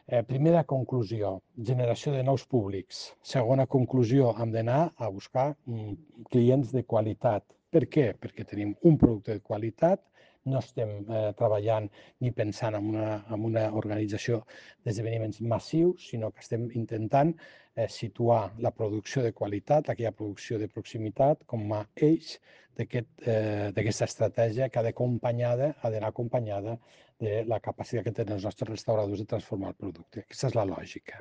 Primera conclusió, generació de nous públics. Segona conclusió, hem d'anar a buscar clients de qualitat. Per què? Perquè tenim un producte de qualitat, no estem treballant ni pensant en una organització d'esdeveniments massius, sinó que estem intentant situar la producció de qualitat, aquella producció de proximitat, com a eix d'aquesta estratègia que ha d'anar acompanyada de la capacitat que tenen els nostres restauradors de transformar el producte. Aquesta és la lògica.